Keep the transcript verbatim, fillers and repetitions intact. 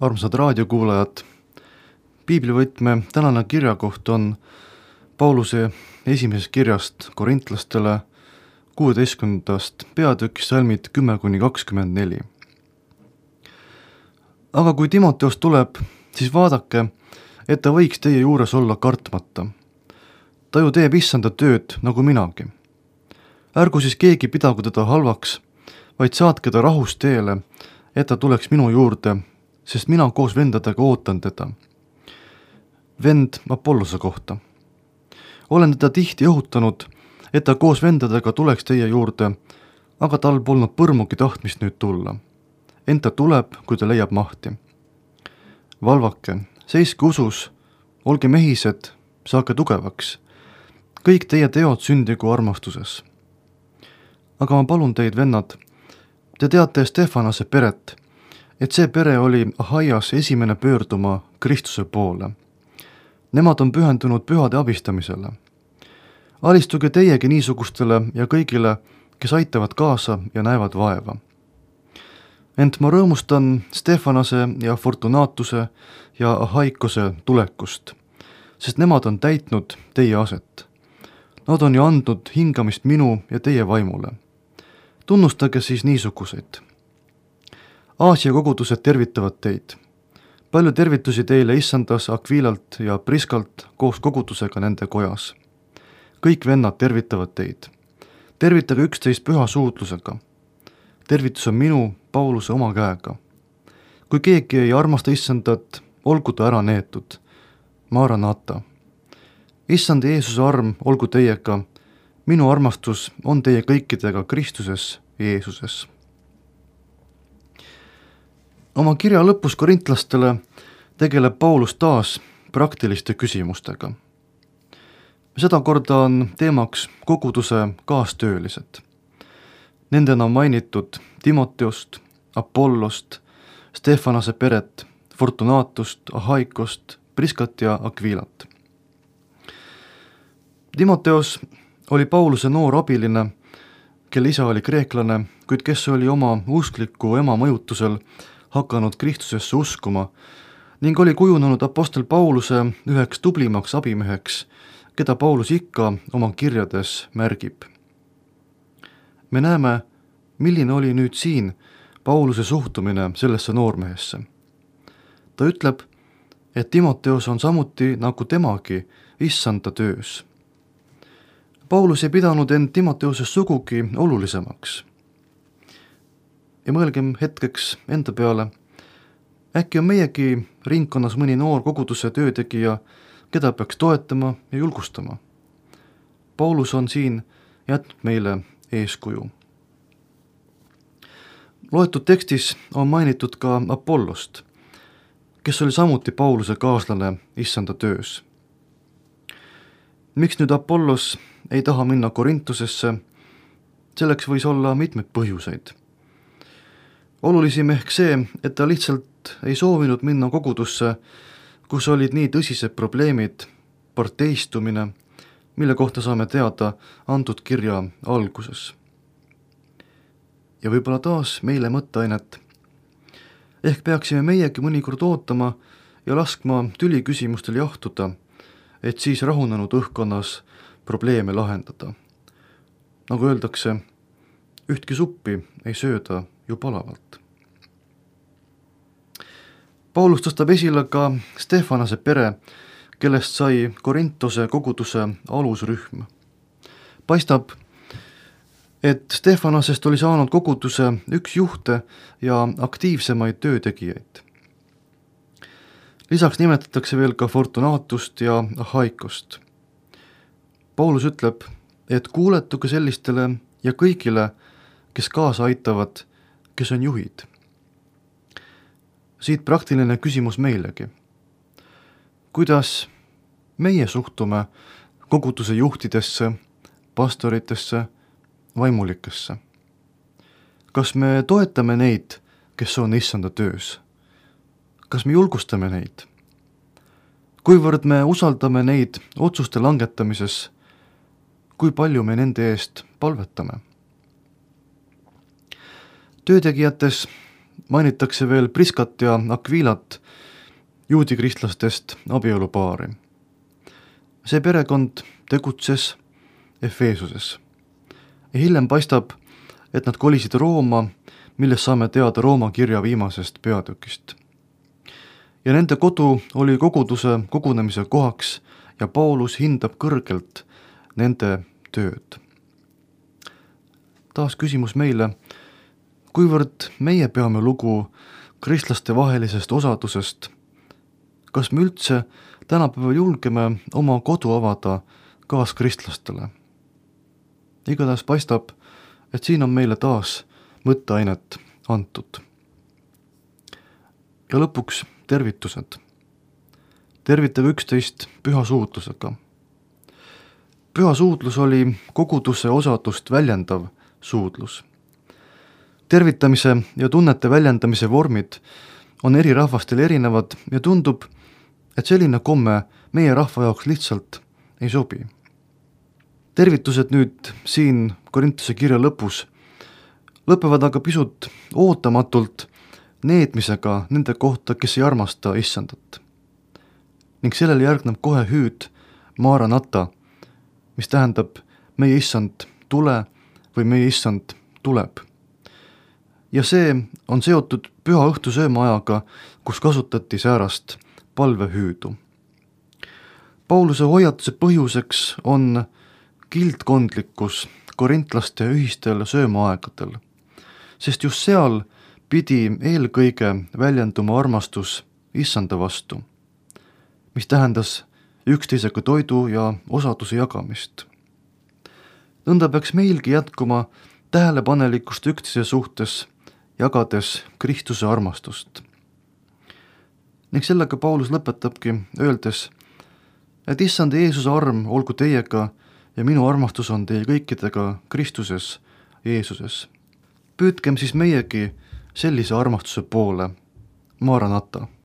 Armsad raadiokuulajad, piiblivõtme tänane kirjakoht on Pauluse esimesest kirjast korintlastele kuueteistkümnendast peatükist salmid kümme kuni kakskümmend neli. Aga kui Timoteos tuleb, siis vaadake, et ta võiks teie juures olla kartmata. Ta ju teeb issanda tööd nagu minagi. Ärgu siis keegi pidagu teda halvaks, vaid saatke ta rahus teele, et ta tuleks minu juurde, sest mina koos vendadega ootan teda. Vend Apollose kohta. Olen teda tihti õhutanud, et ta koos vendadega tuleks teie juurde, aga tal polnud põrmugi tahtmist nüüd tulla. Ent ta tuleb, kui ta leiab mahti. Valvake, seiske usus, olge mehised, saake tugevaks. Kõik teie teod sündigu armastuses. Aga ma palun teid, vennad, te teate Stefanase peret, et see pere oli Ahaias esimene pöörduma Kristuse poole. Nemad on pühendunud pühade abistamisele. Alistuge teiegi niisugustele ja kõigile, kes aitavad kaasa ja näevad vaeva. Ent ma rõõmustan Stefanase ja Fortunatuse ja Ahaikose tulekust, sest nemad on täitnud teie aset. Nad on ju andnud hingamist minu ja teie vaimule. Tunnustage siis niisuguseid. Aasia kogudused tervitavad teid. Palju tervitusi teile issandas Akvilalt ja Priskalt koos kogudusega nende kojas. Kõik vennad tervitavad teid. Tervitage üksteist püha suudlusega. Tervitus on minu, Pauluse oma käega. Kui keegi ei armasta issandat, olgu ta ära neetud. Maranata. Issand Jeesuse arm olgu teiega. Minu armastus on teie kõikidega Kristuses Jeesuses. Oma kirja lõpus korintlastele tegeleb Paulus taas praktiliste küsimustega. Seda korda on teemaks koguduse kaastöölised. Nendena on mainitud Timoteost, Apollost, Stefanase peret, Fortunatust, Ahaikost, Priskat ja Akvilat. Timoteos oli Pauluse noor abiline, kelle isa oli kreeklane, kuid kes oli oma uskliku ema mõjutusel hakanud Kristusesse uskuma ning oli kujunenud apostel Pauluse üheks tublimaks abimeheks, keda Paulus ikka oma kirjades märgib. Me näeme, milline oli nüüd siin Pauluse suhtumine sellesse noormehesse. Ta ütleb, et Timoteos on samuti nagu temagi issanda töös. Paulus ei pidanud end Timoteoses sugugi olulisemaks. Ja mõelgem hetkeks enda peale, äkki on meiegi ringkonnas mõni noor koguduse töötegija, keda peaks toetama ja julgustama. Paulus on siin jätnud meile eeskuju. Loetud tekstis on mainitud ka Apollost, kes oli samuti Pauluse kaaslane issanda töös. Miks nüüd Apollos ei taha minna Korintusesse? Selleks võis olla mitmeid põhjuseid. Olulisim ehk see, et ta lihtsalt ei soovinud minna kogudusse, kus olid nii tõsised probleemid, parteistumine, mille kohta saame teada antud kirja alguses. Ja võib-olla taas meile mõtteainet. Ehk peaksime meiegi mõnikord ootama ja laskma tüli küsimustel jahtuda, et siis rahunenud õhkkonnas probleeme lahendada. Nagu öeldakse, ühtki suppi ei sööda ju palavalt. Paulus tõstab esile ka Stefanase pere, kellest sai Korintose koguduse alusrühm. Paistab, et Stefanasest oli saanud koguduse üks juhte ja aktiivsemaid töötegijaid. Lisaks nimetatakse veel ka Fortunatust ja Ahaikost. Paulus ütleb, et kuuletuge sellistele ja kõigile, kes kaasa aitavad, kes on juhid. Siit praktiline küsimus meilegi. Kuidas meie suhtume koguduse juhtidesse, pastoritesse, vaimulikesse? Kas me toetame neid, kes on issanda töös? Kas me julgustame neid? Kuivõrd me usaldame neid otsuste langetamises, kui palju me nende eest palvetame? Töötegijates mainitakse veel Priskat ja Aquilat, juudi kristlastest abielupaari. see perekond tegutses Efeesuses ja hiljem paistab, et nad kolisid Rooma, millest saame teada Rooma kirja viimasest peatükist. ja nende kodu oli koguduse kogunemise kohaks ja Paulus hindab kõrgelt nende tööd. Taas küsimus meile, kuivõrd meie peame lugu kristlaste vahelisest osadusest, kas me üldse tänapäeval julgeme oma kodu avada kaaskristlastele? Igatahes paistab, et siin on meile taas mõtteainet antud. ja lõpuks tervitused. tervitage üksteist püha suudlusega. püha suudlus oli koguduse osadust väljendav suudlus. tervitamise ja tunnete väljendamise vormid on eri rahvastel erinevad ja tundub, et selline komme meie rahva jaoks lihtsalt ei sobi. tervitused nüüd siin Korintuse kirja lõpus lõpevad aga pisut ootamatult neetmisega nende kohta, kes ei armasta issandat. ning sellele järgneb kohe hüüd Maranata, mis tähendab meie issand tule või meie issand tuleb. ja see on seotud püha õhtusööma ajaga, kus kasutati säärast palvehüüdu. Pauluse hoiatuse põhjuseks on kildkondlikkus korintlaste ühistel söömaaegadel, sest just seal pidi eelkõige väljenduma armastus issanda vastu, mis tähendas üksteisega toidu ja osaduse jagamist. nõnda peaks meilgi jätkuma tähelepanelikkust üksteise suhtes, jagades Kristuse armastust. ning sellega Paulus lõpetabki, öeldes, et issand Jeesuse arm olgu teiega ja minu armastus on teie kõikidega Kristuses Jeesuses. Püüdkem siis meiegi sellise armastuse poole. Maranata.